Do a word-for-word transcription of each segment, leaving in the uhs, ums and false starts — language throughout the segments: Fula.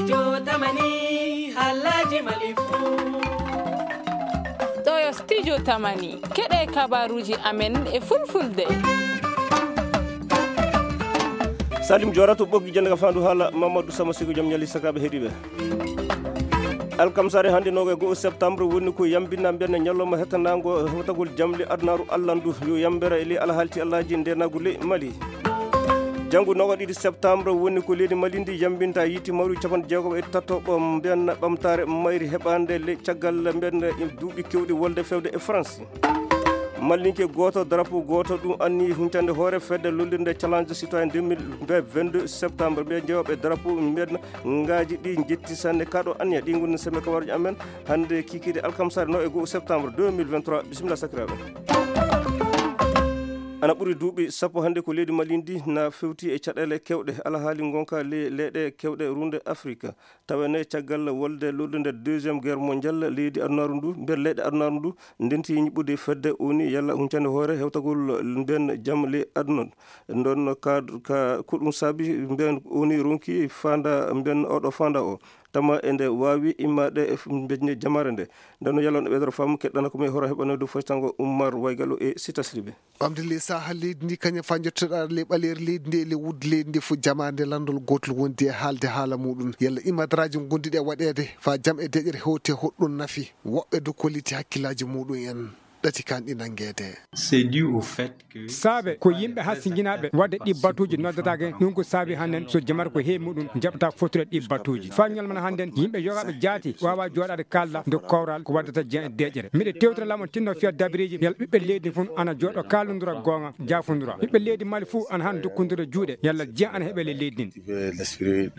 Jotamani, Alhaji Malifu. Ɗo yo Studio Tamani. Keɗe kabaruji amen e fulfulde. Salim Jorato ɓoggi jannde ka fandu haala Mamadou Sama Sigo, jom ñali sakaɓe heɗiɓe. Alkamsare hannde noga e go'o septembre woni ko yambinna mbiyanna ñalawma hettanango hewtagol jamle adunaru allandu yo yambere e ley alhaalti Allaji ndenagu ley Mali. Janngo noga ɗiɗi septembre woni ko leydi Mali ndi yambinta yiiti mawri capanɗe jeegoɓe e tatoɓo mbiyanna ɓamtare mayri heɓande le caggal mbiyanna duuɓi kewɗi wolde fewde e France. Mallinke gooto, drapeau gooto, ɗum anni huncande hoore fedde lollirde Challenge Citoyen deux mille vingt-deux septembre. Ɓe jeewɓe drapeau mbiyen ngaaji ɗi njetti sanne kaɗo anniya. Ɗi ngoni sembe kabaruji amen hannde kikiri alkamsare no e go'o septembre deux mille vingt-trois. Bisimilla sakiraaɓe. Ana ɓuri duuɓi sappo hannde ko leydi Mali ndi na fewti e caɗeele kewɗe, alhaali ngonka le-, leyɗe kewɗe runde Afrika. Tawene caggal wolde lollude deuxième guerre mondiale, leydi adunaru ndu, nder leyɗe adunaru ndu, ndenti ñiɓɓude fedde O N U yalla huncande hoore hewtagol nden jam ley aduna. Nden ka, ka, ko ɗum saabi mbiyen O N U ronki fanda mbiyen oɗo fanda o. Tama e nde waawi immaade e f-, mbeƴne jamaare nde. Nden no yalla no ɓeydoro faamu keɗɗana ko mi horo heɓano dow foytango Ummar Waygalo e Sita Sidibé. Ɓamde ley saha leydi ndi kañum fa jottoɗa ley ɓaleeri leydi ndi e ley wudde leydi ndi fof jamaande lanndol gootol wondi e haalde haala muɗum. Yalla imadaraaji ngonduɗi e waɗeede fa jam e deƴere hewte hoɗɗum nafi woɓɓe dow kolliti hakkillaaji muɗum en ɗati kan ɗi nanngeede. C'est dû au fait que saabe ko yimɓe hassinjinaaɓe wadde ɗi batuuji noddataake. Ɗum ko saabi hannden so jamata ko heewi muɗum jaɓata fottude ɗi batuuji. Fa ñalmana hannden yimɓe yogaaɓe jaati waawa jooɗaade kaalda nde kowral ko waddata jean e deƴere. Miɗe tewtira laamon tinno fiya dabiriji yalla ɓiɓɓe leydi fof ana jooɗo kaalondura goonga jaafondura. Ɓiɓɓe leydi Mali fof ana han dokkondira juuɗe yalla jean ana heɓe le leydi ndin.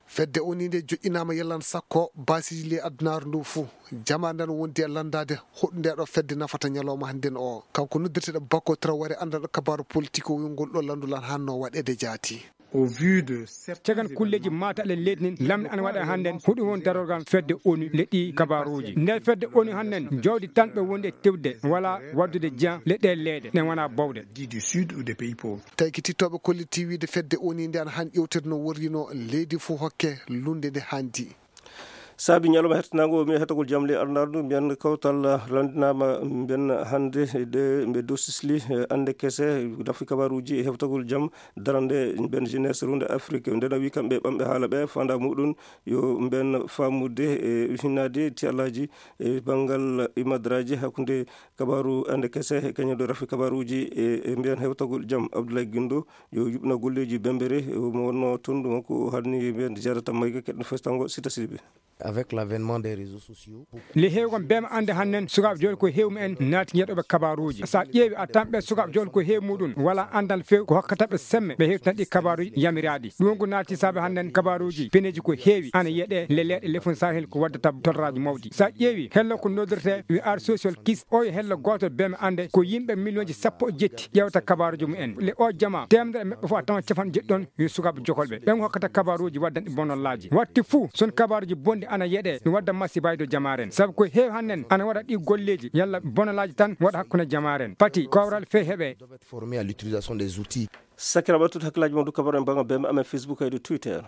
Fedde O N U nde joƴƴinaama yallan sakko baasiji ley adunaaru ndu fof. Jama ndan wondi e lanndaade hoɗu nde ɗo fedde nafata ñalawma hannden o. Kanko noddirteɗo Bako Traoré anndanɗo kabaaru politik o wiyngol ɗo lanndul an hanno waɗeede jaati. Au vu de certains cagan kulleeji événements maata le leydi nin lamɗe ana waɗa hannden huɗum won darorgal fedde O N U le ɗi kabaaruuji. Nder fedde O N U hannden jawdi tan ɓe wondi e tewde wala waddude jean le ɗe leeɗe ɗen wona bowɗe. Dit du sud ou des pays pauvres. Tawi ko tittooɓe kolliti wiide fedde O N U nde ana han ƴewtede no worrino leydi fof hokke lunde nde hanndi. Saabi ñalawma hettanango mi hettagol jam le arnardu mbiyan kawtal lanndinaama mbiyan hannde de mbe dow sisli, eh, annde kese dafi kabaruuji e heftagol jam darande mbiyan jeunesse runde Afrique. Nden o wi kamɓe ɓamɓe haala ɓe fanda muɗum yo mbiyan faamude e hinnaade ti alaji e banngal imadraji hakkunde kabaru annde kese e kañum ɗo rafi kabaruuji e, e mbiyan hewtagol jam. Abdoulaye Guindo yo yuɓna golleeji bembere mo wonno toon ɗum ko hanni mbiyan jarata mayga keɗen festango Sita Sidibé. Avec l'avènement des réseaux sociaux. Le heewgol bema annde hannen sukaaɓe jooɗi ko heewi mumen naati yeɗoɓe kabaruuji. Sa ƴeewi a tan ɓe sukaaɓe jooɗi ko heewi muɗum wala anndal feewi ko hokkata ɓe semme ɓe heewtina ɗi kabaruuji yamiraaɗi. Ɗum ko naati saabe hannen kabaruuji peneeji ko heewi ana yeɗe le leeɗe lefun sahel ko waddata torraaji mawɗi. Sa ƴeewi hello ko noddirte wi ar social kis o yo hello gooto bema annde ko yimɓe miliyonji sappo e jetti ƴeewta kabaruuji mumen. Le o jama temedere meɓɓe fof a tawa capan jeɗɗon yo sukaaɓe jokolɓe ɓen hokkata kabaruuji waddanɗi bonallaaji. Watti fuu son kabaruuji bonɗi ana yeɗe no wadda masibaji dow jamaaren sabu ko heewi hannen ana waɗa ɗi golleeji yalla bonallaaji tan waɗa hakkunde jamaaren pati kowral fee heɓe. Doivent être formés à l'utilisation des outils. Sakiraɓe tout hakkillaaji mon du kabaru en banga bemɓe amen Facebook e du Twitter.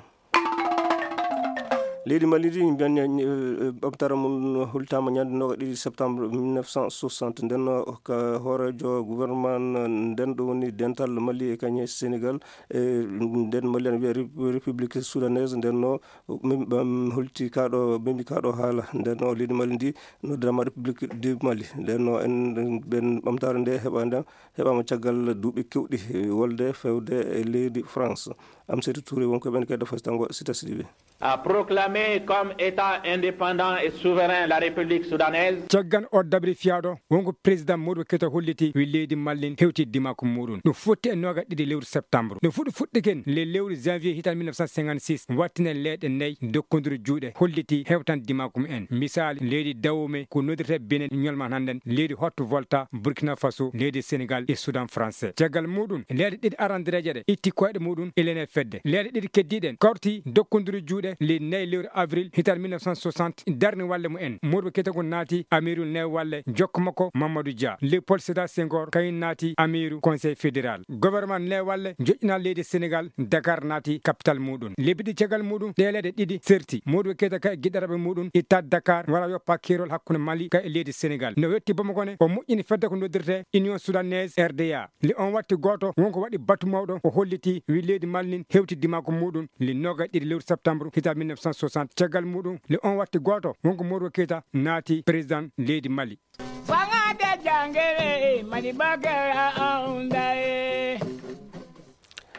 Leydi Mali ndi mbiyan ɓamtara mum hultama ñande noga ɗiɗi septembre mille neuf cent soixante ndenno ka hoorejo gouvernement nden ɗo woni dental Mali e kañe Sénégal. E nden Mali ana wiya Rep-, République Soudanaise ndenno min ɓam holti kaɗo mimi kaɗo haala ndenno leydi Mali ndi noddirama République du Mali ndenno en ɓen ɓamtare nde heɓa nden heɓama caggal duuɓi kewɗi wolde fewde e leydi France. Amsetou Touré wonko ɓen kede fasitango Sita Sidibé. A proclamé comme État indépendant et souverain la République soudanaise. Caggan o dabri fiyaɗo wonko président Modibo Keïta holliti wi leydi Mali hewti dimaku muɗum no fotti e noga ɗiɗi lewru septembre no fuɗi fuɗɗiken le lewru janvier hitan mille neuf cent cinquante-six wattine leeɗe nayi dokkodiri juuɗe holliti hewtan dimaku mumen misali leydi Dahomey ko nodirte Benin ñolma hannden leydi Haute Volta Burkina Faso leydi Sénégal e Soudan français caggal muɗum leeɗe ɗiɗi arandireje ɗe itti koyɗe muɗum e lene fedde leeɗe ɗiɗi keddiɗen kawti dokkodiri juuɗe. le neuf lewru avril hitaande mille neuf cent soixante, darni walle mumen. Modibo Keita kon naati amiiru neuf walle, jokko makko Mamadou Dia. Léopold Sédar Senghor kañum naati amiiru Conseil fédéral. Gouvernement neuf walle joƴƴina leydi Sénégal, Dakar naati capital muɗum. Lebbi ɗi caggal muɗum, ɗe leyɗe ɗiɗi serti. Modibo Keita kay e giɗɗarɓe muɗum ittaade Dakar, wara yoppa keerol hakkunde Mali kay e leydi Sénégal. No wetti Bamako ne, o moƴƴini fedde ko noddirte Union Soudanaise, R D A. Le on watti gooto, wonko waɗi batu mawɗo, o holliti, wi leydi Mali nin hewti dimaako muɗum, le noogaye ɗiɗi lewru septembre, hitaande mille neuf cent soixante. Caggal muɗum, le on watti gooto, wonko Modibo Keita naati président leydi Mali. Fanga de jangere, Mali bagara aunda e.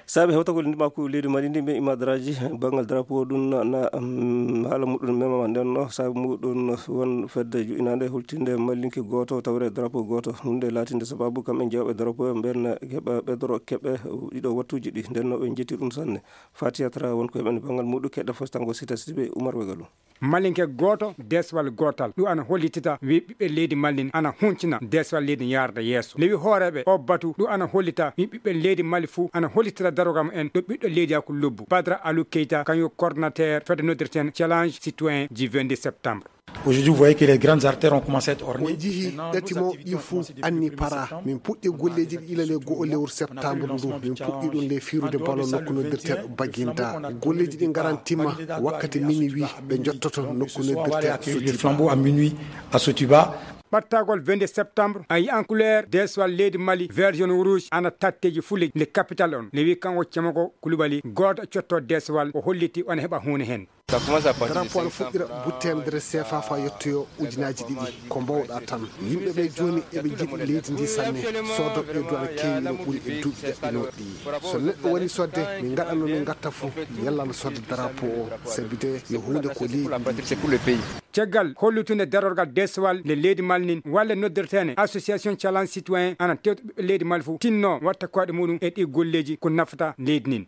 Saabe hewtagol ndimaku leydi Mali ndi, ɓe imadaraaji banngal drapeau ɗum na, na, mm, haala muɗum memama. Nden no saabe muɗum won fedde joƴƴinaande hultinde malinke gooto tawre drapeau gooto. Ɗum nde laatinde sababu kamɓe jeewɓe drapeau ɓen heɓa ɓedoro keɓe ɗiɗo wattuuji ɗi. Nden no ɓe njetti ɗum sanne. Fatiya Tra won ko heɓani banngal muɗum keɗɗa fostango sita sibe Umar Wegalu. Malinke gooto, deeswal gootal. Ɗum ana hollitita wi ɓiɓɓe leydi Mali ana huncina deeswal leydi yarda yeeso. Lewi hooreeɓe o batu, ɗum ana hollita wi ɓiɓɓe leydi Mali fuu ana hollitira darogam en ɗo ɓiɗɗo leydi hakku lobbu. Badra Alou Keita, kañum coordinateur fedde noddirten Challenge Citoyen du vingt-deux septembre. Aujourd'hui, vous voyez que les grandes artères ont commencé à être ornées. On njihii ɗati mawɗi fuu anni para. Min puɗɗi golleeji ɗi ilale go'o lewru septembre ndu. Min puɗɗi ɗum le fiirude ballon nokku noddirteeɗo Baginda. Golleeji ɗi ngarantima wakkati minuit ɓe njottoto nokku noddirteeɗo Sotiba. Flambeau à minuit à Sotiba. Ɓattagol vingt-deux septembre, a yiyan couleur deeswal leydi Mali, vert, jaune, rouge, ana tatteji fuu le, le capital on. Le wi kanko Cemoko Kulubali, gooto cotto deeswal, o holliti on heɓa huune hen. Drapeau on fuɗɗira butte temedere sefa fa yettoyo ujunaaji ɗiɗi. Ko mbawɗa tan. Yimɓe ɓe jooni eɓe njiɗi leydi ndi sanne. Soodoɓe ɓe duwana keewi no ɓuri e duuɓi ɗaɗɗinooɗi ɗi. So neɗɗo woni sodde, min ngaɗa no min ngatta fuu, yalla no sodde drapeau o, sabi de yo huunde ko leydi ndi. Caggal hollutunde darorgal deeswal nde leydi Mali nin, walle noddirteene Association Challenge Citoyen ana tewta ɓiɓɓe leydi Mali fuu tinno watta koyɗe muɗum e ɗi golleeji ko nafata leydi nin.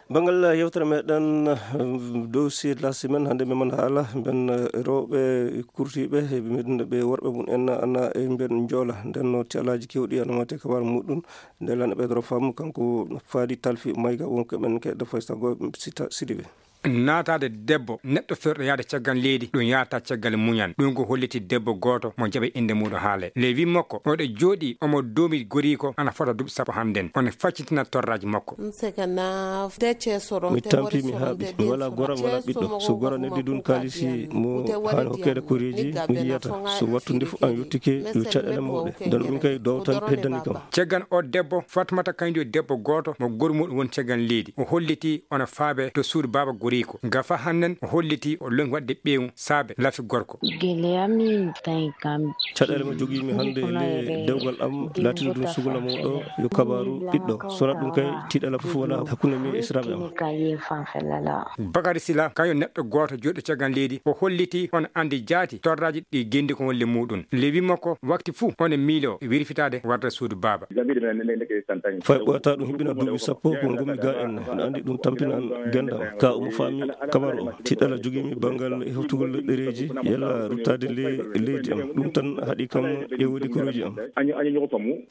Banngal yewtere meɗen, eh, dossier de la semaine, hannde meɗen haala mben, eh, rewɓe kurtiiɓe, eh, mben ɓe worɓe mum en ana, eh, mben njoola. Nden no tiyalaaji kewɗi ana mate kabar muɗum. Nde lan ɓe doro fam kanko Fadi Talfi Mayga wonko men ke da faysta go sita sidibe. Naataade debbo neɗɗo ferɗo yaade caggal leydi, ɗum yaata caggal muñal. Ɗum ko holliti debbo gooto mo jaɓe innde muuɗum haale. Le wi makko, oɗo jooɗi, omo doomi goriiko, ana fota duuɓi sappo hannden. Ono faccitina torraaji makko. Mi tampi, mi haaɓi. Mi walaa gora mo laɓɓiɗɗo. So gora neddi ɗum kaalisi mo haani hokkeede koreeji, mi yiyata. So wattu ndefu an yottike, yo caɗeele mawɗe. Nden ɗum kay dowtal heddani kam. Caggal o debbo, Fatmata kañum debbo gooto mo gori muɗum won caggal leydi. O holliti ono faabe to suudu baaba goriiko. Gafa hannden o holliti o lonki waɗde ɓeewu saabe lafi gorko. Gele ami tawi kam. Caɗeele mo jogiimi hannde le dewgal am laatiiɗo ɗum sugula mawɗo yo kabaaru ɓiɗɗo. Sona ɗum kay tiiɗala fof wala hakkunde mi e israaɓe am. Bakari Sila kañum neɗɗo gooto jooɗo caggal leydi. O holliti on anndi jaati torraaji ɗi genndi ko wonle muɗum. Lewi makko wakti fuu on e miilo wirfitaade warta suudu baaba. Fay ɓooyataa ɗum hiɓɓina duuɓi sappo ko ngommi ga en. No anndi ɗum tampinan gendam. Ka omo faami kabaru o. Tiɗɗala jogiimi banngal hewtugol ɗereeji, yalla ruttaade le-, leydi am. Ɗum tan haɗi kam e woodi koreeji am.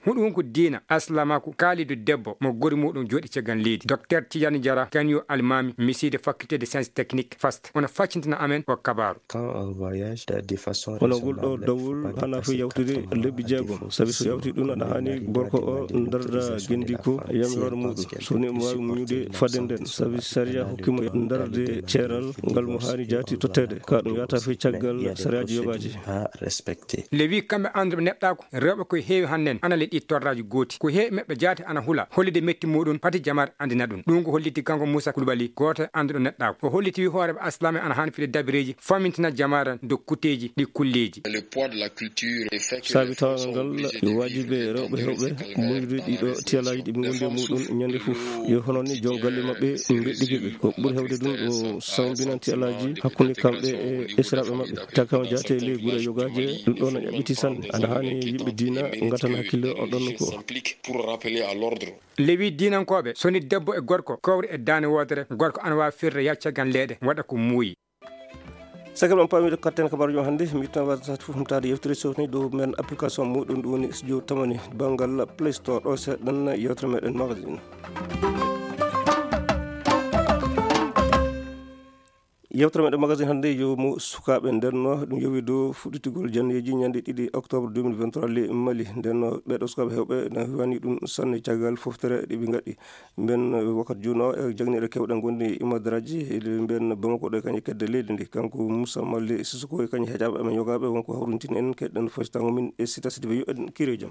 Huɗo won ko diina, aslamaku, kaalidu debbo, mo gori muɗum jooɗi caggal leydi. Docteur Tidiane Diarra, kañum yo almaami, misiide faculté de sciences techniques, fast. Ono faccintina amen o kabaru. Quand on voyage de façon raisonnable, il faut pas dépasser quatre mois de fatigue physique et mentale. Kono ngol ɗo dawol hana fo yawtude lebbi jeegom, sabi so yawti ɗum aɗa haani gorko o darda gendiiko e yamiroore muɗum. So woni omo waawi muñude fadde nden, sabi sariya hokkimo darde ceeral ngal mo haani jaati totteede. Ka ɗum yahata fii caggal sariyaaji yogaaji. Lewi kamɓe annduɓe neɗɗaaku, rewɓe ko heewi hannden ana le ɗi torraaji gooti. Ko heewi maɓɓe jaati ana hula, hollide metti muɗum, pati jamaare anndina ɗum. Ɗum ko holliti kanko Moussa Koulibaly, gooto e annduɗo neɗɗaaku. O holliti wi hooreeɓe aslame ana haani fide dabireeji, famintina jamaare dow kuteeji ɗi kulleeji. Saabi tawangal ngal, yo waajibi rewɓe hewɓe muñude ɗiɗo tiyalaaji ɗi ɓe ngondi e muɗum ñande fof. Yo hono ni jon galle maɓɓe mbeɗɗike ɓe. Ko ɓuri hewde ɗum ɗo sambinan tiyalaaji hakkunde kamɓe e esiraɓe maɓɓe. Takama jaate ley gure yogaaje, ɗum ɗo no ƴaɓɓiti sanne. Ana haani yimɓe diina ngatana hakkille on ɗon ko. Lewi diinankooɓe, so ni debbo e gorko kowri e daane woodere, gorko ana waawi firde yacca gan leeɗe, waɗa ko muuyi. Sagal on paamiiɗo katten kabaruji on hannde, mi yettan wasata fof humtaade yewtere sofni dow men application muɗum, ɗum woni studio tamani banngal Play Store. Ɗo seeɗan yewtere meɗen magazine. Yewtere meɗen magasin hannde yo mo sukaaɓe. Nden no ɗum yowi dow fuɗɗitigol jandeeji ñande ɗiɗi octobre deux mille vingt-trois le Mali. Nden no ɓeɗo sukaaɓe hewɓe na wani ɗum sanne caggal foftere ɗe ɓe ngaɗi. Mben wakkati juuno e jagniiɗo kewɗe gondi imadraji, mben Bamako ɗo e kañe kedde leydi ndi. Kanko Moussa Mali Sissoko e kañe heƴaɓe amen yogaaɓe wonko hawrintini en keɗɗen fasitango min e sita sidi ɓe yo en kire jam.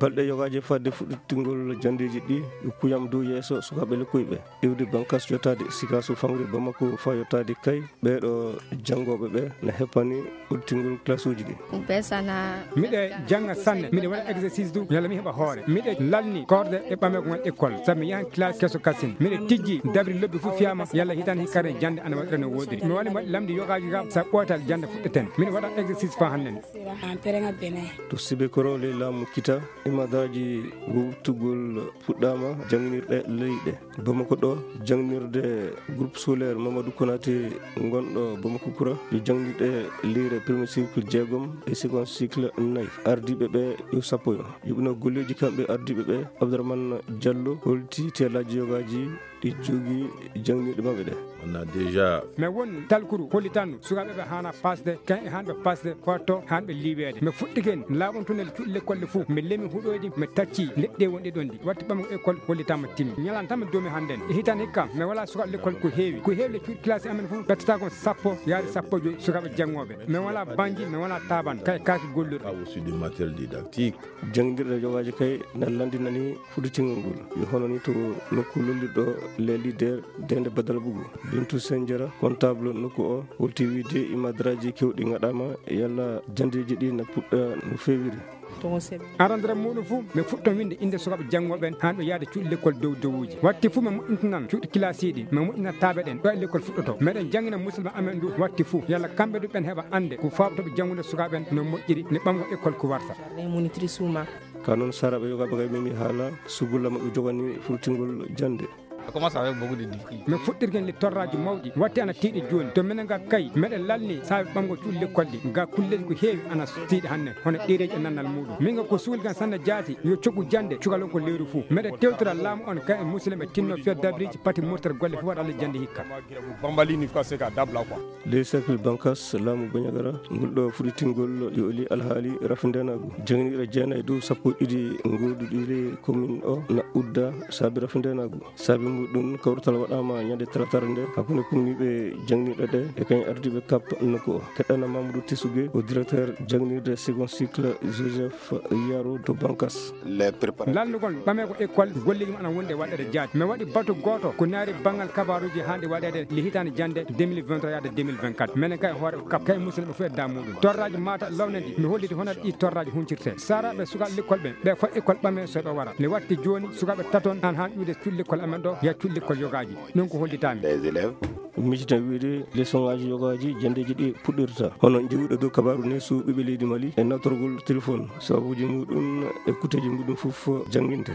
Balɗe yogaaji fadde fuɗɗitingol jandeeji ɗi, kuyam dow yeeso sukaaɓe lekkuyɓe iwde bankas yottaade Sikaso Fangri Bamako faa yottaade Kay. Ɓeeɗo janngooɓe ɓe na heppani udditgol classe uji ɗi. Miɗe jannga sanne, miɗe waɗa exercice du, yalla mi heɓa hoore. Miɗe lalni koorde e ɓamegol école, sabu mi yahan classe keso kasin. Miɗe tijji dabri lobbi fof fiyama, yalla hitande hikka jannde ana waɗira no woodiri. Mi woni waɗi lamɗi yogaaji gam sa ɓootal jannde fuɗɗeten. Miɗe waɗa exercice faa hannden. To Sibekoro ley laamu Kita, imadraji wuurtugol puɗɗaama jannginirɗe leyɗe. Bamako ɗo, jangnirde groupe scolaire Mamadou Konaté ngonɗo Bamako Kura, yo jangnirɗe lire premier cycle jeegom e second cycle nayi. Ardiiɓe ɓe yo sappo yo. Yuɓino golleeji kamɓe ardiiɓe ɓe, Abdourahmane Diallo holti teelaaji yogaaji ɗi jogii jangniiɗe maɓɓe ɗe. On a déjà. Mais won talkuru hollitanno sukaaɓe ɓe haana pasde, kan e haanɓe pasde, fotto haanɓe liiweede. Mais fuɗɗiken laaɓon tunnel cuuɗi lekkol ɗe fof, mi lemi huɗoyde, mi tacci leɗɗe wonɗe ɗon ɗi. Watti ɓamgo école hollitama timmi. Ñalan tan mi doomi hannden. E hitan hikka, mi wala sukaaɓe lekkol ko heewi. Ko heewi le cuuɗi classe amen fof, ɓettata kon sappo, yaade sappo joyi sukaaɓe janngooɓe. Mi wala banji, mi wala taaban, kay kaaki gollirɗe. Pas aussi du matériel didactique. Janngindirɗe jogaaji kay na lanndinani fuɗɗitingol ngol. Yo hono ni to nokku lollirɗo les leaders Dende Badal Bugu. Bintu Senjara, comptable nokku o, holti wiide imadraji kewɗi ngaɗama, yalla jandeeji ɗi na puɗɗa no feewiri. Arandere muɗum fof, mi fuɗɗo winde innde sukaaɓe janngooɓe ɓen, haa ɓe yaada cuuɗi lekkol dow dowuuji. Watti fof mi moƴƴintanan cuuɗi kilaasiiɗi, mi moƴƴina taaɓe ɗen, ɗo e lekkol fuɗɗoto. Meɗen janngina musidɓe amen ɗum, watti fof, yalla kamɓe ɗum ɓen heɓa annde ko fawtoɓe janngude sukaaɓe ɓen no moƴƴiri, ne ɓamgo école ko warta. Ka noon, saraaɓe yogaaɓe kay, min mi haala sugulla maɓɓe jogani fuɗɗitingol jannde. Ça commence avec beaucoup de difficultés. Min fuɗɗirken le torraaji mawɗi, watti ana tiiɗi jooni. To minen ga kay, meɗen lalni saabe ɓamgo cuuɗi lekkol ɗi. Ga kulleeji ko heewi ana tiiɗi hannde, hono ɗereeji e nannal muɗum. Min ga ko suuli kan sanne jaati, yo coggu jannde, cukalon ko leyru fuu. Meɗen tewtora laamu on kay e musidɓe tinno feddabriji pati murtere golle fof waɗa le jannde hikka. Bambali ni fuka seka dabla quoi. Ley cercle Bankas, laamu Bañagara, ngol ɗo fuɗɗitingol yo oli alhaali rafindenaagu. Jangniiɗo jeenayi dow sappo e ɗiɗi gooduɗi ley commune o na udda saabi rafindenaagu. Saabi muɗum, kawrutal waɗaama ñande talatara nde hakkunde kumniiɓe jangniiɗo ɗe e kañum ardiiɓe kap nokku o. Keɗɗana Mamadou Tessugue, o directeur jangnirde second cycle Joseph Yaro to Bankas. Lannugol ɓamee ko école, golleeji mum ana wonde waɗeede jaati. Mi waɗi batu gooto ko naari banngal kabaaruuji haandi waɗeede le hitaande jannde deux mille vingt-trois yaade deux mille vingt-quatre. Menen kay hoore kap kay musidɓe fof e daa muɗum. Torraaji mata lawne ndi, mi holliti hono ɗi torraaji huncirte. Saraaɓe sukaaɓe lekkol ɓe, ɓe fof école ɓamee so ɓe wara. Mi watti jooni sukaaɓe taton an haan ƴuude cuuɗi lekkol amen ɗo, ya cuuɗi lekkol yogaaji. Ɗum ko hollitaami. Des élèves. Miccita wiide leçon aji yogaaji janndeeji ɗi puɗɗirta. Hono jewuɗo dow kabaaru neesu ɓiɓɓe leydi Mali e nawtorgol téléphone, sababuuji muɗum e kutteeji muɗum fof jannginte.